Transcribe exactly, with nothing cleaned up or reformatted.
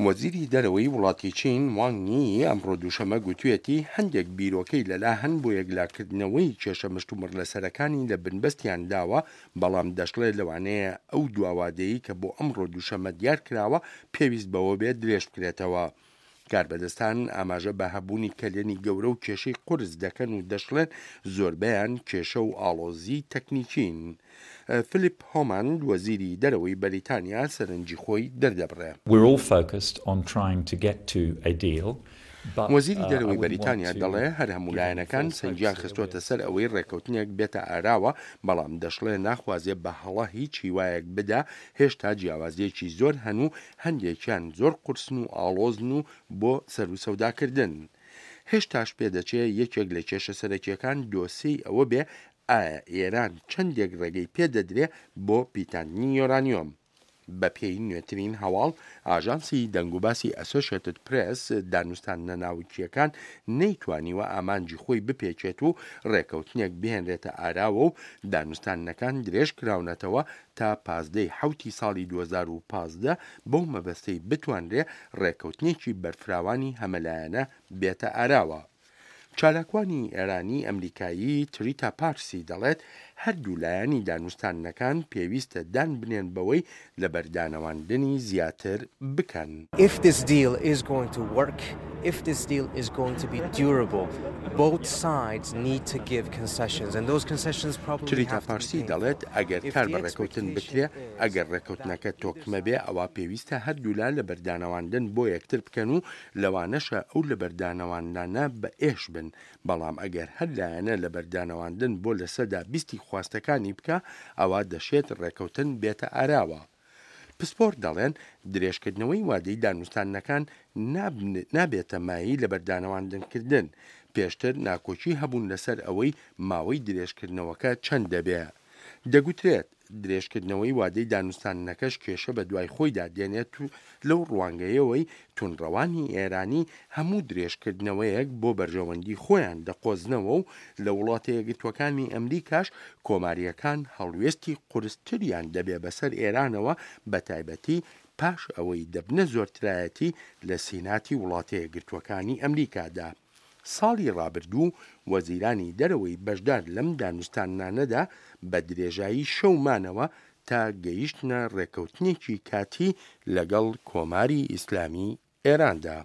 وەزیری دەرەوەی وڵاتی چین وانگ یی ئەمڕۆ دووشەممە گوتویەتی هەندێک بیرۆکەی لەلا هەن بۆ یەکلاکردنەوەی کێشە مشتومڕ لەسەرەکانی لە بنبەستیان داوە، بەڵام دەشڵێ لەوانەیە ئەو دواوادەی کە بۆ ئەمڕۆ دووشەممە دیار کراوە پێویست بەوە بێت درێژ بکرێتەوە. کاربەدەستان ئاماژە بە هەبوونی کەلێنی گەورە و کێشەی قورس دەکەن و دەشڵێن زۆربەیان کێشە و ئاڵۆزی تەکنیکین. فلیپ هۆماند وەزیری دەرەوەی بەریتانیا سەرنجی خۆی دەردەبڕێ. We're all focused on trying to get to a deal. وەزیری دەرەوەی بەریتانیا دەڵێ هەر هەموو لایەنەکان سەنگیان خستۆتە سەر ئەوەی ڕێککەوتنێک بێتە ئاراوە، بەڵام دەشڵێ ناخوازێ بە هەڵە هیچ هیوایەک بدا، هێشتا جیاوازیەکی زۆر هەن و هەندێکیان زۆر قورسن و ئاڵۆزن و بۆ سەروسەوداکردن. هێشتاش پێدەچێ یەکێک لە کێشە سەرەکیەکان دۆسێی ئەوە بێ ئایا ئێران چەندێک ڕێگەی پێدەدرێ بۆ پیتاندنی یۆرانیۆم. بەپێی نوێترین هەواڵ ئاژانسی دەنگوباسی ئەسۆشێتد پرێس، دانوستاندنە ناوکییەکان نەیتوانیوە ئامانجی خۆی بپێکێت و ڕێکەوتنێک بهێنرێتە ئاراوە و دانوستاندنەکان درێژ کراونەتەوە تا پازدەی حوتی ساڵی دوو هەزار و پازدە بەو مەبەستەی بتوانرێ ڕێکەوتنێکی بەرفراوانی هەمەلایەنە بێتە ئاراوە. چالاکوانی ئێرانی ئەمریکایی تریتا پارسی دەڵێت هەردوو لایەنی دانوستاندنەکان پێویستە دان بنێن بەوەی لەبەردانەواندنی زیاتر بکەن. If this deal is going to work, if this deal is going to be durable, both sides need to give concessions and those concessions probably تریتا have to be پارسی painful. دەڵێت ئەگەر If کار the بە ڕێکەوتن بکرێ، expectation is ئەگەر that ڕێکەوتنەکە either تۆکمە بێ، side ئەوا پێویستە هەردوولا لەبەردانەواندن بۆ یەکتر بکەن و لەوانەشە ئەو لەبەردانەواندانە بە ئێش بن، بەڵام ئەگەر هەر لایەنە لەبەردانەواندن بۆ لەسەدا بیستی خواستەکانی بکە، ئەوە دەشێت ڕێکەوتن بێتە ئاراوە. پسپۆر دەڵێن درێژکردنەوەی وادەی دانوستاندنەکان نابێتە مایەی لەبەردانەواندنکردن. پێشتر ناکۆکی هەبوون لەسەر ئەوەی ماوەی درێژکردنەوەکە چەند دەبێ. دەگوترێت درێژکردنەوەی وادەی دانوستاندنەکەش کێشە بە دوای خۆیدا دێنێت و لەو ڕوانگەیەوەی توندڕەوانی ئێرانی هەموو درێژکردنەوەیەک بۆ بەرژەوەندی خۆیان دەقۆزنەوە و لە وڵاتە یەکگرتووەکانی ئەمریکاش کۆماریەکان هەڵوێستی قورستریان دەبێ بەسەر ئێرانەوە، بە تایبەتی پاش ئەوەی دەبنە زۆرترایەتی لە سیناتی وڵاتە یەکگرتووەکانی ئەمریکادا. ساڵی ڕابردوو وەزیرانی دەرەوەی بەشدار لەم دانوستاندنانەدا بە درێژایی شەومانەوە تا گەیشتنە ڕێکەوتنێکی کاتی لەگەڵ کۆماری ئیسلامی ئێراندا.